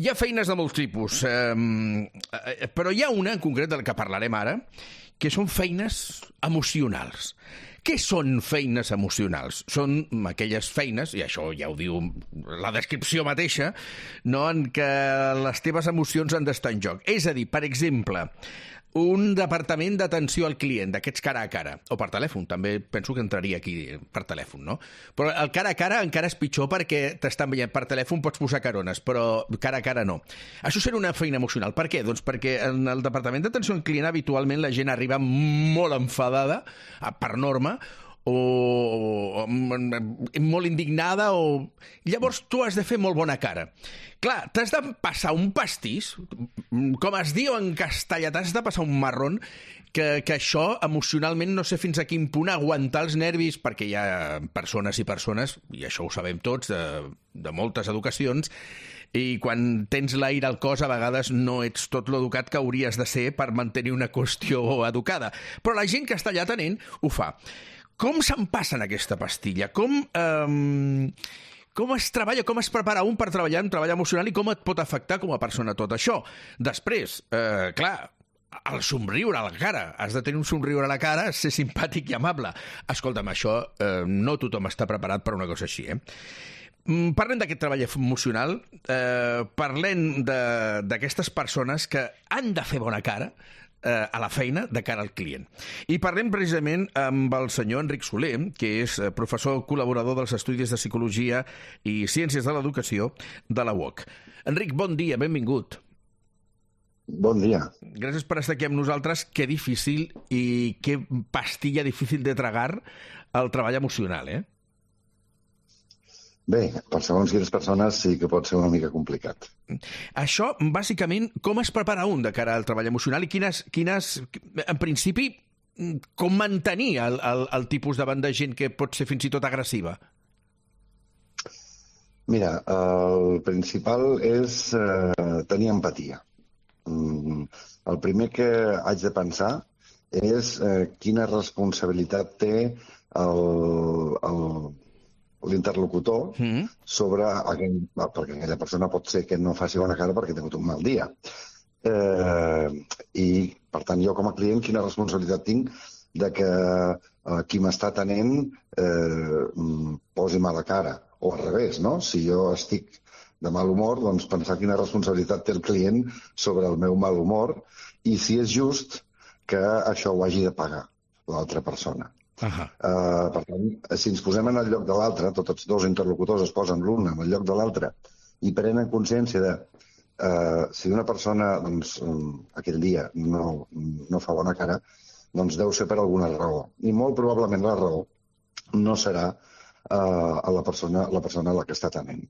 Hi ha feines de molts tipus, però hi ha una en concret de la que parlarem ara, que són feines emocionals. Què són feines emocionals? Són aquelles feines, i això ja ho diu la descripció mateixa, no, en què les teves emocions han d'estar en joc. És a dir, per exemple, un departament d'atenció al client, d'aquests cara a cara, o per telèfon, també penso que entraria aquí per telèfon, no? Però el cara a cara encara és pitjor perquè t'estan veient per telèfon, pots posar carones, però cara a cara no. Això serà una feina emocional. Per què? Doncs perquè en el departament d'atenció al client habitualment la gent arriba molt enfadada, per norma, o molt indignada, o llavors tu has de fer molt bona cara. Clar, t'has de passar un pastís, com es diu en castellà, t'has de passar un marrón, que això emocionalment no sé fins a quin punt aguantar els nervis, perquè hi ha persones i persones, i això ho sabem tots de moltes educacions, i quan tens l'aire al cos a vegades no ets tot l'educat que hauries de ser per mantenir una qüestió educada. Però la gent que està allà atenent ho fa. Com se'n passen aquesta pastilla? Com es treballa, com es prepara un per treballar en treball emocional i com et pot afectar com a persona tot això? Després, clar, el somriure a la cara. Has de tenir un somriure a la cara, ser simpàtic i amable. Escolta'm, això no tothom està preparat per una cosa així, Parlem d'aquest treball emocional, parlem d'aquestes persones que han de fer bona cara a la feina de cara al client. I parlem precisament amb el senyor Enric Soler, que és professor col·laborador dels Estudis de Psicologia i Ciències de l'Educació de la UOC. Enric, bon dia, benvingut. Bon dia. Gràcies per estar aquí amb nosaltres. Que difícil i que pastilla difícil de tragar el treball emocional, Bé, per segons quines persones sí que pot ser una mica complicat. Això, bàsicament, com es prepara un de cara al treball emocional i quines en principi, com mantenir el tipus davant de gent que pot ser fins i tot agressiva? Mira, el principal és tenir empatia. El primer que haig de pensar és quina responsabilitat té l'interlocutor sobre perquè aquella persona pot ser que no faci bona cara perquè ha tingut un mal dia. I, per tant, jo com a client, quina responsabilitat tinc de que qui m'està atenent posi mala cara. O al revés, no? Si jo estic de mal humor, doncs pensar quina responsabilitat té el client sobre el meu mal humor i si és just que això ho hagi de pagar l'altra persona. Per tant, si ens posem en el lloc de l'altre, tots els dos interlocutors es posen l'un en el lloc de l'altre i prenen consciència de si una persona doncs, aquell dia no fa bona cara, doncs deu ser per alguna raó. I molt probablement la raó no serà a la persona a la que està atenent.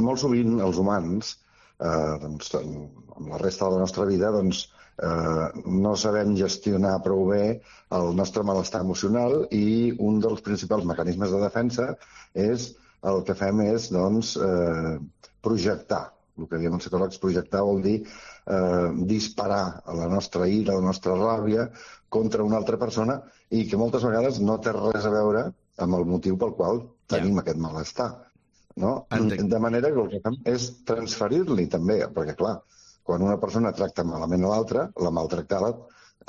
Molt sovint els humans, doncs, amb la resta de la nostra vida, doncs, no sabem gestionar prou bé el nostre malestar emocional i un dels principals mecanismes de defensa és el que fem és doncs, projectar. El que diem els psicòlegs, projectar vol dir disparar a la nostra ira, a la nostra ràbia contra una altra persona i que moltes vegades no té res a veure amb el motiu pel qual tenim aquest malestar. No? De manera que el que fem és transferir-li també, perquè clar, quan una persona tracta malament a l'altra, la maltractada,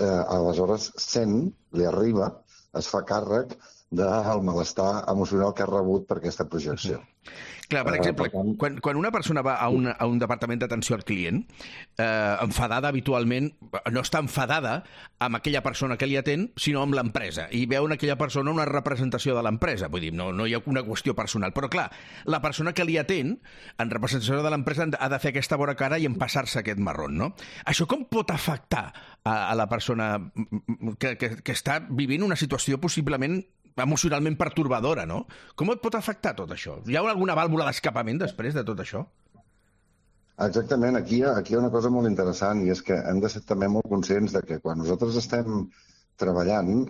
aleshores sent, li arriba, es fa càrrec del malestar emocional que ha rebut per aquesta projecció. Clar, per exemple, quan una persona va a un departament d'atenció al client, enfadada habitualment, no està enfadada amb aquella persona que li atén, sinó amb l'empresa, i veu en aquella persona una representació de l'empresa. Vull dir, no hi ha una qüestió personal. Però clar, la persona que li atén, en representació de l'empresa, ha de fer aquesta bona cara i empassar-se aquest marrón, no? Això com pot afectar a la persona que està vivint una situació possiblement emocionalment pertorbadora, no? Com et pot afectar tot això? Hi ha alguna vàlvula d'escapament després de tot això? Exactament. Aquí hi ha una cosa molt interessant i és que hem de ser també molt conscients de que quan nosaltres estem treballant,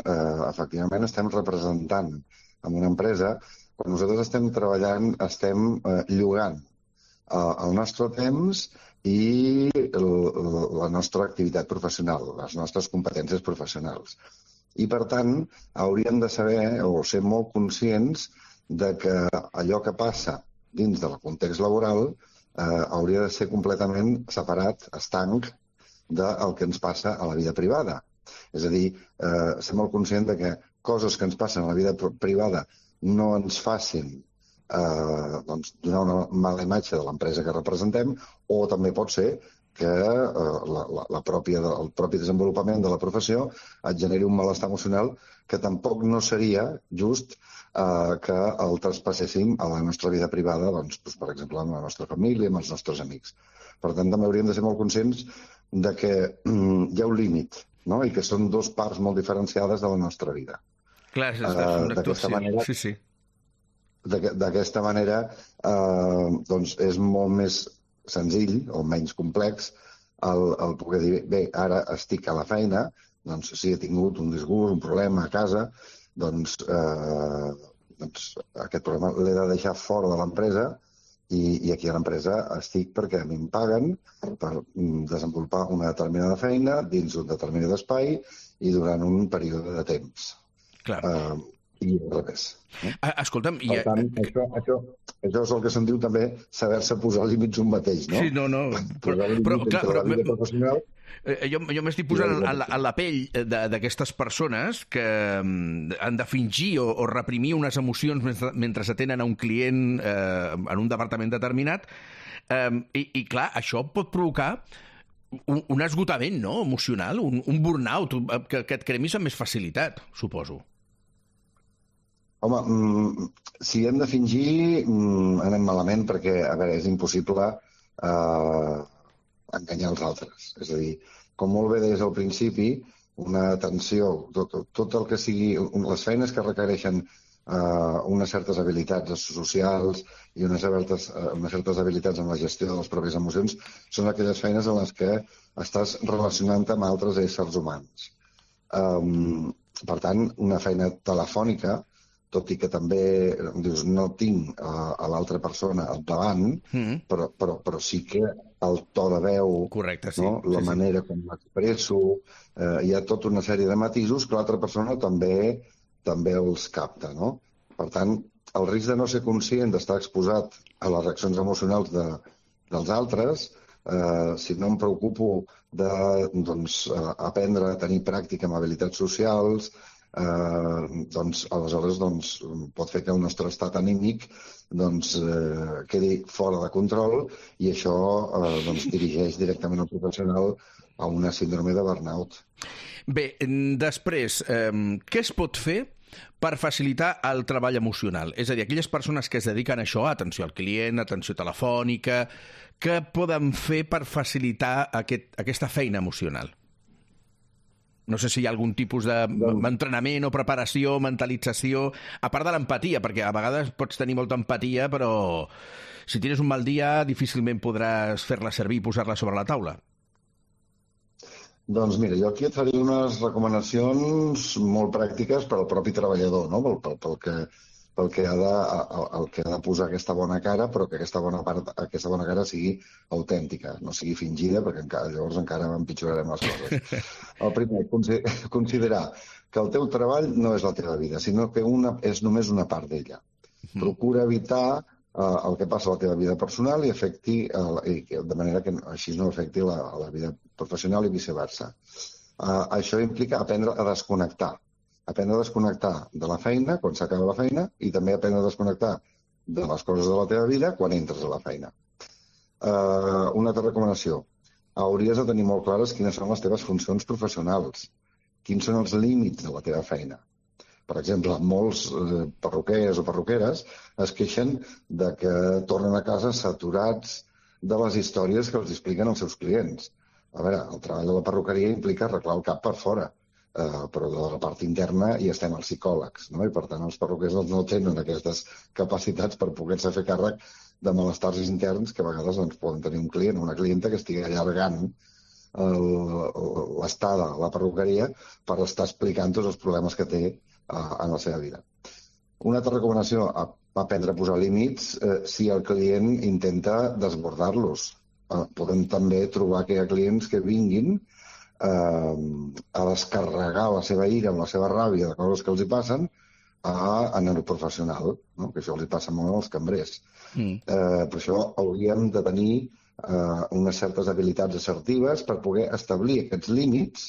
efectivament estem representant en una empresa, quan nosaltres estem treballant estem llogant el nostre temps i la nostra activitat professional, les nostres competències professionals. I, per tant, hauríem de saber o ser molt conscients de que allò que passa dins del context laboral hauria de ser completament separat, estanc, del que ens passa a la vida privada. És a dir, ser molt conscient de que coses que ens passen a la vida privada no ens facin donar una mala imatge de l'empresa que representem, o també pot ser que el propi desenvolupament de la professió et generi un malestar emocional que tampoc no seria just que el traspasséssim a la nostra vida privada, doncs, per exemple, amb la nostra família, amb els nostres amics. Per tant, també hauríem de ser molt conscients de que hi ha un límit, no? I que són dues parts molt diferenciades de la nostra vida. Clar, és una actuació. Sí. D'aquesta manera, doncs és molt més senzill o menys complex el poder dir, bé, ara estic a la feina, doncs si he tingut un disgust, un problema a casa, doncs aquest problema l'he de deixar fora de l'empresa i aquí a l'empresa estic perquè a mi em paguen per desenvolupar una determinada feina dins un determinat espai i durant un període de temps. Clar. I al revés. Escolta'm... Per tant, això és el que se'n diu també saber-se posar límits un mateix, no? Sí, no. Però la vida professional... Jo m'estic posant a la pell d'aquestes persones que han de fingir o reprimir unes emocions mentre s'atenen a un client en un departament determinat i clar, això pot provocar un esgotament, no?, emocional, un burnout que et cremis amb més facilitat, suposo. Home, si hem de fingir, anem malament perquè, a veure, és impossible enganyar els altres. És a dir, com molt bé deies al principi, una atenció, tot el que sigui, les feines que requereixen unes certes habilitats socials i unes certes habilitats en la gestió de les pròpies emocions són aquelles feines en les que estàs relacionant amb altres éssers humans. Per tant, una feina telefònica, tot i que també dius, no tinc a l'altra persona al davant, però sí que el to de veu, correcte, sí, no? La manera com m'expresso, hi ha tota una sèrie de matisos que l'altra persona també els capta, no? Per tant, el risc de no ser conscient d'estar exposat a les reaccions emocionals dels altres, si no em preocupo d'aprendre a tenir pràctica amb habilitats socials, aleshores pot fer que el nostre estat anímic quedi fora de control i això dirigeix directament el professional a una síndrome de burnout. Bé, després, què es pot fer per facilitar el treball emocional? És a dir, aquelles persones que es dediquen a això, atenció al client, atenció telefònica, què poden fer per facilitar aquesta feina emocional? No sé si hi ha algun tipus d'entrenament o preparació, mentalització, a part de l'empatia, perquè a vegades pots tenir molta empatia, però si tens un mal dia difícilment podràs fer-la servir i posar-la sobre la taula. Doncs mira, jo aquí et faré unes recomanacions molt pràctiques per al propi treballador, no? Pel que ha de posar aquesta bona cara, però que aquesta bona cara sigui autèntica, no sigui fingida, perquè llavors encara empitjorarem les coses. El primer, considerar que el teu treball no és la teva vida, sinó que és només una part d'ella. Procura evitar el que passa a la teva vida personal i de manera que així no afecti la vida professional i viceversa. Això implica aprendre a desconnectar. Aprendre a desconnectar de la feina quan s'acaba la feina i també aprendre a desconnectar de les coses de la teva vida quan entres a la feina. Una altra recomanació. Hauries de tenir molt clares quines són les teves funcions professionals, quins són els límits de la teva feina. Per exemple, molts perruquers o perruqueres es queixen de que tornen a casa saturats de les històries que els expliquen els seus clients. A veure, el treball de la perruqueria implica arreglar el cap per fora, però de la part interna hi estem els psicòlegs, no? I per tant els perruquers no tenen aquestes capacitats per poder-se fer càrrec de malestars interns que a vegades poden tenir un client o una clienta que estigui allargant l'estada a la perruqueria per estar explicant tots els problemes que té en la seva vida. Una altra recomanació, aprendre a posar límits si el client intenta desbordar-los. Podem també trobar que hi ha clients que vinguin a descarregar la seva ira amb la seva ràbia de coses que els hi passen a neurprofessional, no? Que això els passa molt als cambrers. Per això hauríem de tenir unes certes habilitats assertives per poder establir aquests límits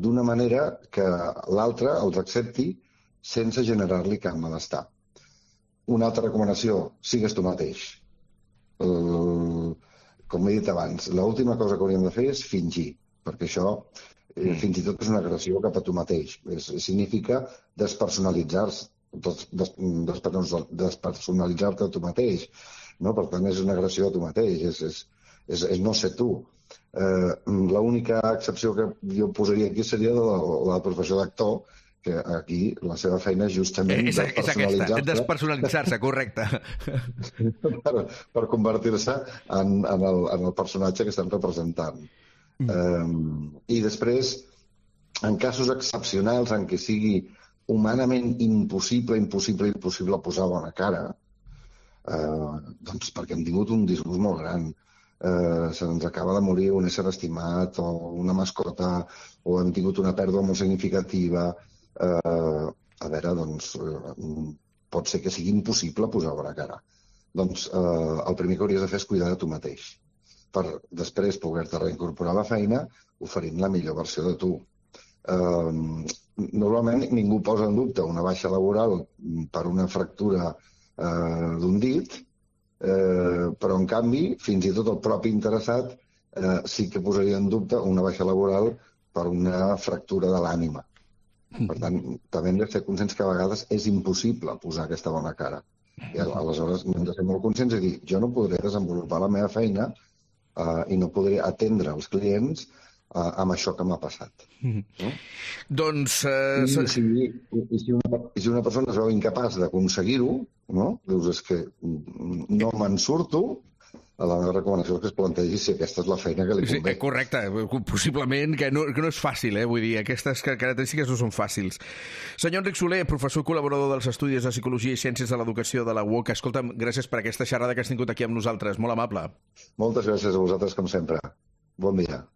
d'una manera que l'altre els accepti sense generar-li cap malestar. Una altra recomanació, sigues tu mateix. Com he dit abans, l'última cosa que hauríem de fer és fingir, perquè això fins i tot és una agressió cap a tu mateix. Significa despersonalitzar-te a tu mateix. No? Per tant, és una agressió a tu mateix, és no ser tu. L'única excepció que jo posaria aquí seria la professió d'actor, que aquí la seva feina és justament despersonalitzar-se, correcte. per convertir-se en el personatge que estan representant. I després, en casos excepcionals en què sigui humanament impossible posar bona cara, doncs perquè hem tingut un disgust molt gran, se'ns acaba de morir un ésser estimat o una mascota, o hem tingut una pèrdua molt significativa, a veure, doncs pot ser que sigui impossible posar bona cara. Doncs el primer que hauries de fer és cuidar de tu mateix, per després poder-te reincorporar a la feina oferint la millor versió de tu. Normalment ningú posa en dubte una baixa laboral per una fractura d'un dit, però en canvi fins i tot el propi interessat sí que posaria en dubte una baixa laboral per una fractura de l'ànima. Per tant, també hem de ser conscients que a vegades és impossible posar aquesta bona cara. I aleshores hem de ser molt conscients i dir, jo no podré desenvolupar la meva feina i no podré atendre els clients amb això que m'ha passat. No? Doncs... I si una persona es veu incapaç d'aconseguir-ho, no? Dius, és que no me'n surto, la meva recomanació és que es plantegi si aquesta és la feina que li convé. Sí, correcte, possiblement que no és fàcil, vull dir, aquestes característiques no són fàcils. Senyor Enric Soler, professor i col·laborador dels Estudis de Psicologia i Ciències de l'Educació de la UOC, escolta'm, gràcies per aquesta xerrada que has tingut aquí amb nosaltres, molt amable. Moltes gràcies a vosaltres, com sempre. Bon dia.